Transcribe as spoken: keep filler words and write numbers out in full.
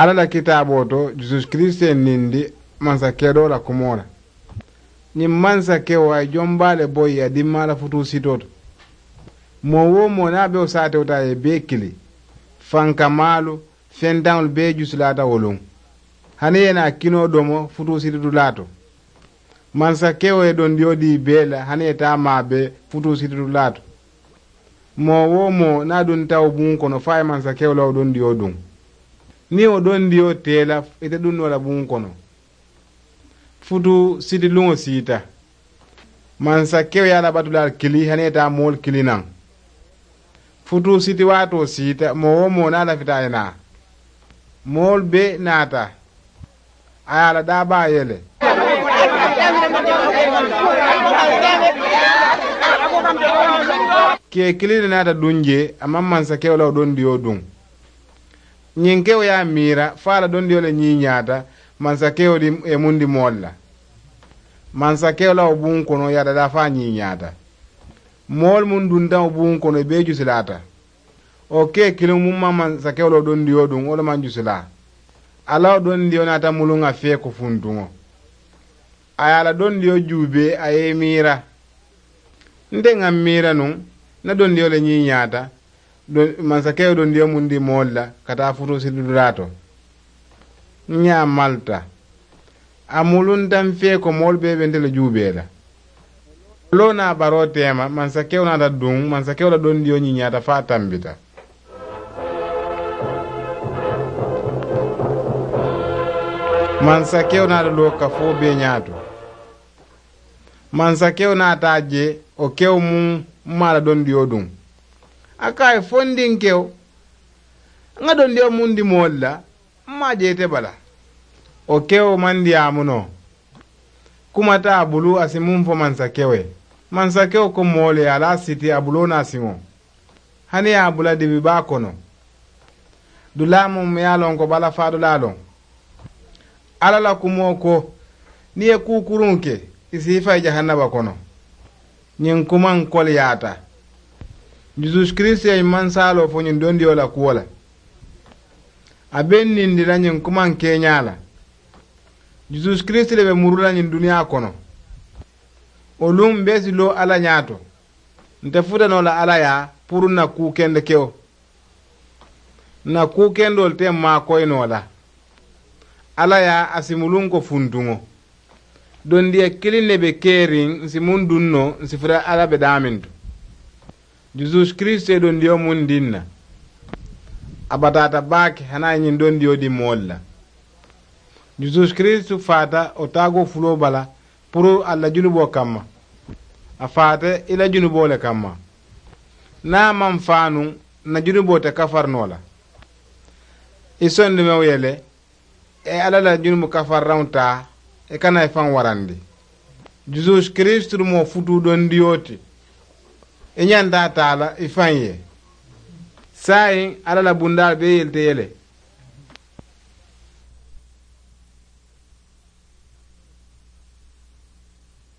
Alla la kitaaboo to, jisus kirisita ye nindi mansakedoo la kumoo la. Ñiŋ mansakewo a ye jombaa le bo ì ye a dimmaa la futuu sitoo to. Moo-wo-moo niŋ a be wo saatewo taa a ye bee kili. Fankamaalu, fentaŋolu bee jusilaata wo luŋ. Hani i ye naa kinoo domo futuu siti dulaa to. Mansakewo ye dondiyo dii bee la hani i ye taa maa bee futuu siti dulaa to. Moo-wo-moo niŋ a dunta wo buŋo kono fo a ye mansakewo la wo dondiyo duŋ. Niŋ wo dondiyo tee la ite duŋ noo la buŋo kono. Futuu siti luŋo siita. Mansakewo ye a la batulaalu kili hani i ye taa moolu kili naŋ. Futuu siti waatoo siita moo-wo-moo niŋ a lafita a ye naa. Moolu bee naata. A ye a la daabaa yele. Kee kiliŋ ne naata duŋ jee a maŋ mansakewo la wo dondiyo duŋ. Ñiŋ kewo ye a miira fo a la dondiyo le ñiiñaata. Mansakewo ye mundi moolu la. Mansakewo la wo buŋo kono ye a dadaa fo a ñiiñaata. Moolu muŋ dunta wo buŋo kono i bee jusilaata. Wo kee kiliŋo muŋ maŋ mansakewo la wo dondiyo duŋ wo le maŋ jusilaa. A la wo dondiyo naata muluŋ a feeko funtuŋo. A ye a la dondiyo juubee a ye i miira. Nte ŋa miira nuŋ n na dondiyo le ñiiñaata. Mansakewo dondiyo mundi moolu la ka taa futuu siti dulaa to. N ñaa malta. A mulunta n fee ko moolu bee be nte le juubee la. Loo naa baroo teema mansakewo naata duŋ mansakewo la dondiyo ñiiñaata fo a tambita. Mansakewo naata loo kafoo bee ñaato. Mansakewo naata a je wo kewo muŋ maa la dondiyo duŋ. A ko a ye fo n diŋ kewo. Ŋa dondiyo muŋ dimoolu la m maa je ite bala. Wo kewo maŋ diyaamu noo. Kuma te a bulu a si muŋ fo mansakewo ye. Mansakewo ko moolu ye a la a siti a buloo naa siŋo. Hani ye a bula dibi baa kono. Dulaa muŋ ye a loŋ ko bala faadulaa loŋ. Alla la kumoo ko niŋ i ye kuu kuruŋo ke i si i fayi jahannaba kono. Ñiŋ kuma n koliyaata. Jisus kiristu ye ñiŋ mansaaloo fo ñiŋ dondiyo la kuwo la. A be n nindi la ñiŋ kuma n keeñaa la. Jisus kiristu le be muru la ñiŋ duniyaa kono. Wo luŋ mbe si loo alla ñaato. Nte futa noo la alla yaa puru n na kuu kende kewo. N na kuu kendoolu te n maakoyi noo la. Alla yaa a si muluŋ ko funtuŋo. Dondiya kiliŋ ne be keeriŋ n si muŋ duŋ noo n si futa alla be daamintu. Jisus kiristu ye dondiyo muŋ diŋ na. A bataata baake hani a ye ñiŋ dondiyo diŋ moolu la. Jisus kiristu faata wo taagoo fuloo bala puru ali la junuboo kamma. A faata i la junuboo le kamma. Niŋ a maŋ faa nuŋ n na junuboo te kafari noo la. I sondomewo ye le i ye alla la junubu kafariraŋo taa i kana i faŋ warandi. Jisus kiristu mu wo futuu dondiyo ti. I ñanta a taa la i faŋ ye. Saayiŋ alla la bundaalu bee yelite ye le.